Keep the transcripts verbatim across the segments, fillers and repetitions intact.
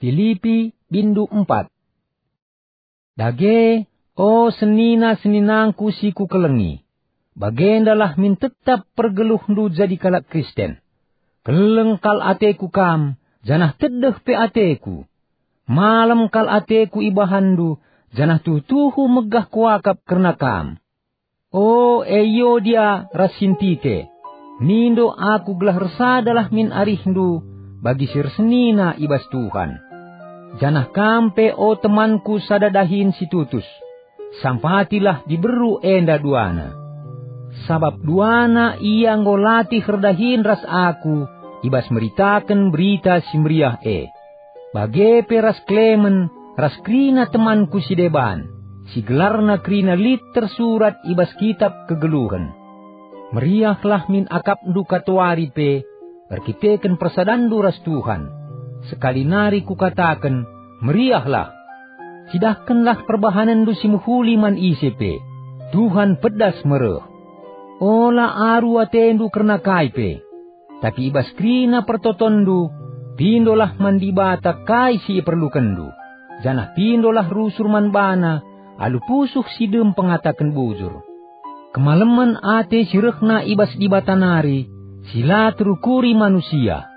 Pilipi, bindu empat. Dage, o senina-seninangku si kukelengi, bagendalah min tetap pergeluhndu jadi kalak Kristen. Keleng kal ateku kam, janah tedeh pe ateku. Malem kal ateku ibahanndu, janah tuhu-tuhu megah kuakap kerna kam. O Euodia ras Sintike, mindo aku gelah ersadalah min arihndu bagi si ersenina i bas Tuhan. Janah kam pe, o temanku sada dahin si tutus, sampatilah diberu enda duana. Sabap duana ia enggo latih erdahin ras aku i bas meritaken Berita Si Meriah e. Bage pe ras Klemen ras kerina temanku si deban, si gelarna kerina lit tersurat i bas Kitap Kegeluhen. Meriahlah min akapndu katawari pe erkiteken persadanndu ras Tuhan. Sekali nari kukataken, meriahlah! Cidahkenlah perbahanenndu si mehuli man ise pe. Tuhan pedas me reh. Ola aru atendu kerna kai pe. Tapi i bas kerina pertotonndu, pindolah man Dibata kai si iperlukenndu, janah pindolah rusur man baNa alu pusuh si dem pengataken bujur. Kemalemen ate si rehna i bas Dibata nari, si la terukuri manusia,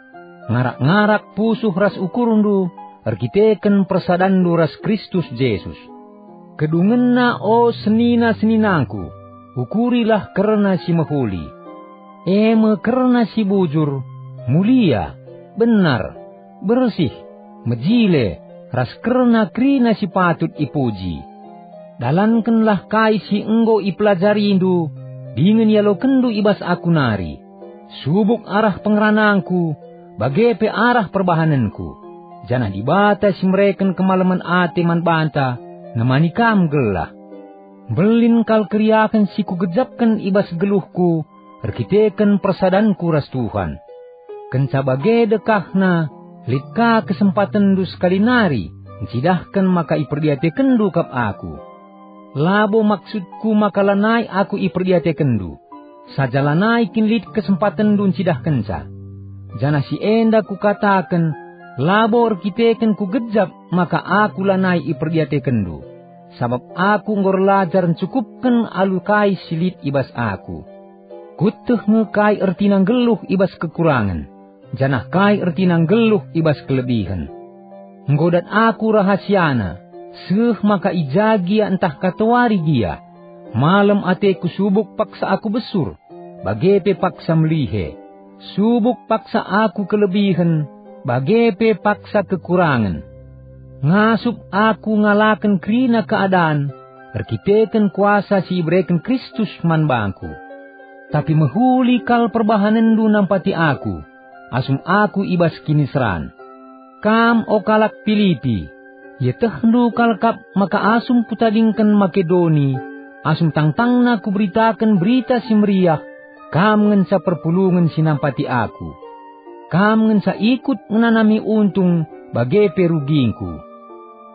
ngarak-ngarak pusuh ras ukurndu erkiteken persadanndu ras Kristus Jesus. Kedungenna, o senina-seninangku, ukurilah kerna si mehuli, e me kerna si bujur, mulia, benar, bersih, mejile, ras kerna kerina si patut ipuji. Dalankenlah kai si enggo ipelajarindu dingen ialokenndu i bas aku nari. Subuk arah pengeranangku, bage pe arah perbahanenku, janah Dibata si mereken kemalemen ate man banta nemani kam gelah. Mbelin kal keriahen si kugejapken i bas geluhku erkiteken persadanku ras Tuhan. Kenca bage dekahna, lit ka kesempatenndu sekali nari ncidahken maka iperdiatekenndu kap aku. Labo maksudku maka lanai aku iperdiatekenndu, saja lanai kin lit kesempatenndu ncidahkenca. Janah si enda kukataken, labo erkiteken kugejap maka aku lanai iperdiatekenndu, sabap aku enggo erlajar ncukupken alu kai si lit i bas aku. Kueteh nge kai ertina nggeluh i bas kekurangen, janah kai ertina nggeluh i bas kelebihen. Enggo dat aku rahasiana, seh maka i ja gia ntah katawari gia. Malem ateku subuk paksa aku besur, bage pe paksa melihe. Subuk paksa aku kelebihen, bage pe paksa kekurangen. Ngasup aku ngalaken kerina keadan erkiteken kuasa si ibereken Kristus man bangku. Tapi mehuli kal perbahanenndu nampati aku, asum aku i bas kiniseran. Kam, o kalak Pilipi, ietehndu kal kap maka asum kutadingken Makedoni, asum tangtangna kuberitaken Berita Si Meriah, kam ngenca perpulungen si nampati aku. Kam ngenca ikut ngenanami untung bage pe rugingku.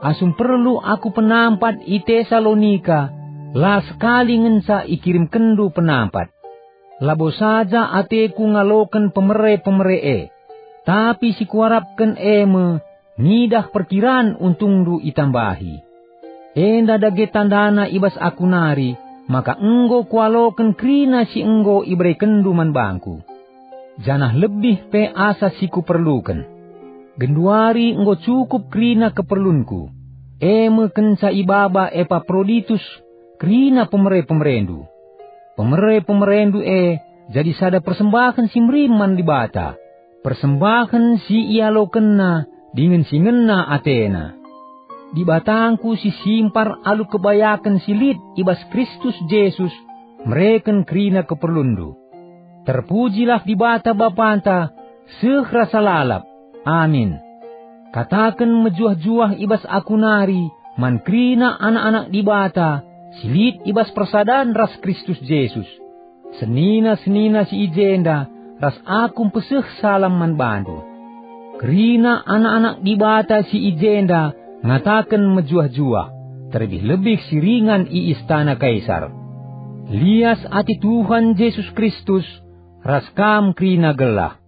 Asum perlu aku penampat i Tesalonika, la sekali ngenca ikirimkenndu penampat. Labo saja ateku ngaloken pemere-pemere e, tapi si kuarapken e me ngidah perkiran untungndu itambahi. Enda dage tandana i bas aku nari maka enggo kualoken kerina si enggo iberekenndu man bangku, janah lebih pe asa si kuperluken. Genduari enggo cukup kerina keperlunku, e me kenca ibaba Epaproditus kerina pemere-pemerendu. Pemere-pemerendu e jadi sada persembahen si merim man Dibata, persembahen si ialokenna dingen si ngena atena. Dibatangku si simpar alu kebayaken si lit i bas Kristus Jesus mereken kerina keperlunndu. Terpujilah Dibata Bapanta seh rasa lalap. Amin. Kataken mejuah-juah i bas aku nari man kerina anak-anak Dibata si lit i bas persadan ras Kristus Jesus. Senina-senina si i jenda ras aku mpeseh salam man bandu. Kerina anak-anak Dibata si i jenda ngataken mejuah-juah, terlebih-lebih si ringan i istana Kaisar. Lias ate Tuhan Jesus Kristus ras kam kerina gelah.